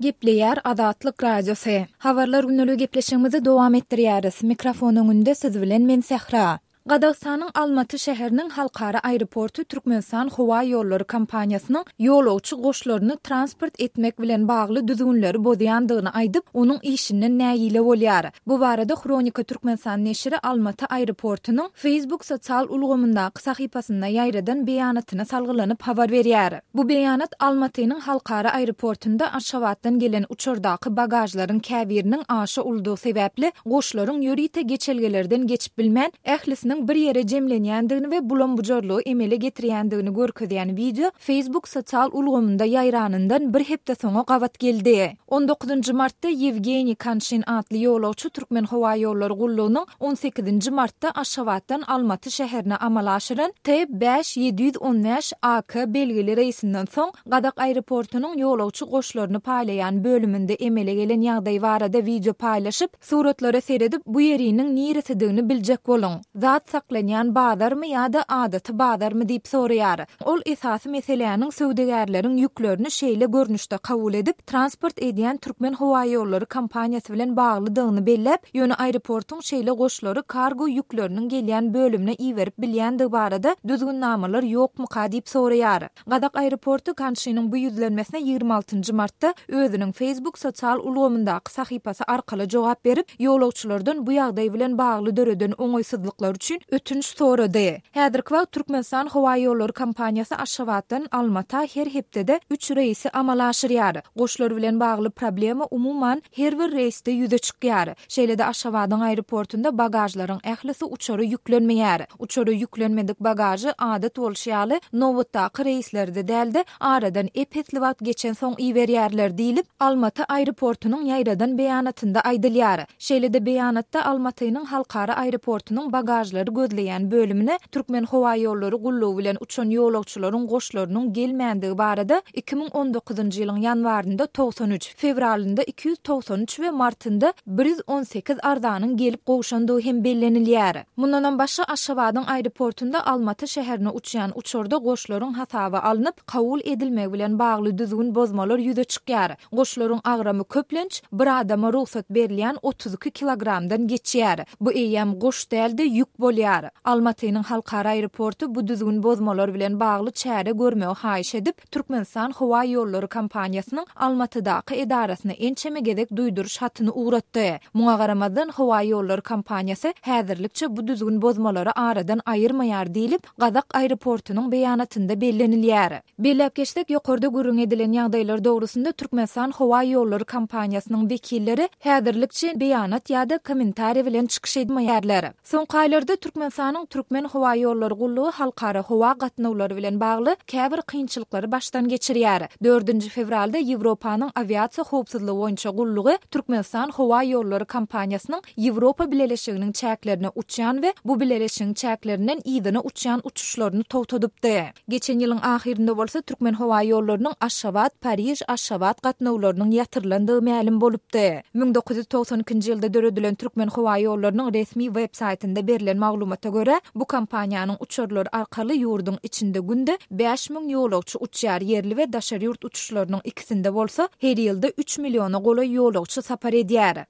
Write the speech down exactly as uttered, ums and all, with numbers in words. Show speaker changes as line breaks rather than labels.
Gepleýär Azatlyk Radiosy. Habarlar gündeligi gepleşigimizi dowam etdirýäris. Mikrofon öňünde siz bilen men Sähra. Gazagystanyň Almaty şäheriniň halkara aeroporty Türkmenistan howa ýollary kompaniýasynyň ýolagçy goşlaryny transport etmek bilen bagly düzgünleri bozýandygyny aýdyp, onuň işinden nägile bolýar. Bu barada Hronika Türkmenistan neşiri Almaty aeroportunyň Facebook sosial ulgamyndaky sahypasynda ýaýradan beýanatyna salgylanyp habar berýär. Bu beýanat Almatynyň halkara aeroportunda Aşgabatdan gelen uçardaky bagažlaryň käbiriniň aşa uludygy sebäpli goşlaryň ýörite geçelgelerden geçip bilmän, ählisiniň bir ýere jemlenýändigini we bulam-bujarlygy emele getirýändigini görkezýän wideo Facebook sosial ulgamynda ýaýranyndan bir hepde soňa gabat geldi. On dokuzynjy martda Ýewgeniý Kanşin atly ýolagçy Türkmenhowaýollary gullugynyň on sekizinji martda Aşgabatdan Almaty şäherine amala aşyran T bäş ýedi ýüz on bäş A K belgili reýsinden soň gazak aeroportunyň ýolagçy goşlaryny paýlaýan bölüminde emele gelen ýagdaý barada wideo paýlaşyp, Suratlara seredip, bu ýeriniň niresidigini biljek boluň. Zat saklanýan bazarmy ýa-da adaty bazarmy diýip soraýar. Ol esasy meseläniň söwdagärleriň ýüklerini şeýle görnüşde kabul edip, transport edýän Türkmenhowaýollary kompaniýasy bilen baglydygyny belläp, ýöne aeroportuň şeýle goşlary kargo ýükleriniň gelýän bölümine iberip bilýändigi barada düzgünnamalar ýokmuka diýip soraýar. Gazak aeroporty Kanşiniň bu ýüzlenmesine ýigrimi altynjy martda özüniň Facebook sosial ulgamyndaky sahypasy arkaly jogap berip, ýolagçylardan bu ýagdaý bilen bagly döreden oňaýsyzlyklar üçin ötünç sorady. Häzirki wagt Türkmenistan howaýollary kompaniýasy Aşgabatdan Almata her hepdede üç reýsi amala aşyrýar. Goşlar bilen bagly problema umuman her bir reýsde ýüze çykýar. Şeýle-de Aşgabadyň aeroportunda bagažlaryň ählisi uçara ýüklenmeýär. Uçara ýüklenmedik bagažy adat bolşy ýaly nobatdaky reýslerde däl-de, aradan ep-esli wagt geçensoň iberýärler diýlip, Almaty aeroportunyň ýaýradan beýanatynda aýdylýar. Şeýle-de beýanatda Almatynyň halkara aeroportunyň bagažlary gözleýän bölümine Türkmenhowaýollary gullugy bilen uçan ýolagçylaryň goşlarynyň gelmändigi barada iki müň on dokuzynjy ýylyň ýanwarynda togsan üç, fewralynda iki ýüz togsan üç we martynda bir ýüz on sekiz arzanyň gelip gowşandygy hem bellenilýär. Mundanam başga Aşgabadyň aeroportunda Almaty şäherine uçýan uçarda goşlaryň hasaba alnyp, kabul edilmegi bilen bagly düzgün bozmalar ýüze çykýar. Goşlaryň agramy köplenç bir adama rugsat berilýän otuz iki kilogramdan geçýär. Bu eýýäm goş däl-de ýük bolýar. Almatynyň halkara aeroporty bu düzgün bozmalar bilen bagly çäre görmegi haýyş edip, Türkmenistan howa ýollary kompaniýasynyň Almatydaky edarasyna ençeme gezek duýduryş hatyny ugratdy. Muňa garamazdan howa ýollary kompaniýasy häzirlikçe bu düzgün bozmalary aradan aýyrmaýar diýlip, Gazak aeroportunyň beýanatynda bellenilýär. Belläp geçsek, ýokarda gürrüň edilen ýagdaýlar dogrusynda Türkmenistan howa ýollary kompaniýasynyň wekilleri häzirlikçe beýanat ýa-da kommentariý bilen çykyş etmeýärler. Soňky aýlarda Türkmenistanyň Türkmen howa ýollary gullugy halkara howa gatnawlary bilen bagly käbir kynçylyklary başdan geçirýär. Dördünji fewralda Ýewropanyň awiasiýa howpsuzlygy boýunça gullugy Türkmenistan howa ýollary kompaniýasynyň Ýewropa Bileleşiginiň çäklerine uçýan we bu bileleşigiň çäklerinden yzyna uçýan uçuşlaryny togtadypdy. Geçen ýylyň ahyrynda bolsa Türkmenhowaýollarynyň Aşgabat, Pariž, Aşgabat gatnawlarynyň ýatyrylandygy mälim bolupdy. Müň dokuz ýüz togsan ikinji ýylda döredilen Türkmenhowaýollarynyň resmi web saýtynda berlen maglumata görä, bu kompaniýanyň uçarlary arkaly ýurduň içinde günde bäş müň ýolagçy uçýar, ýerli we daşary ýurt uçuşlarynyň ikisinde bolsa her ýylda üç milliona golaý ýolagçy sapar edýär.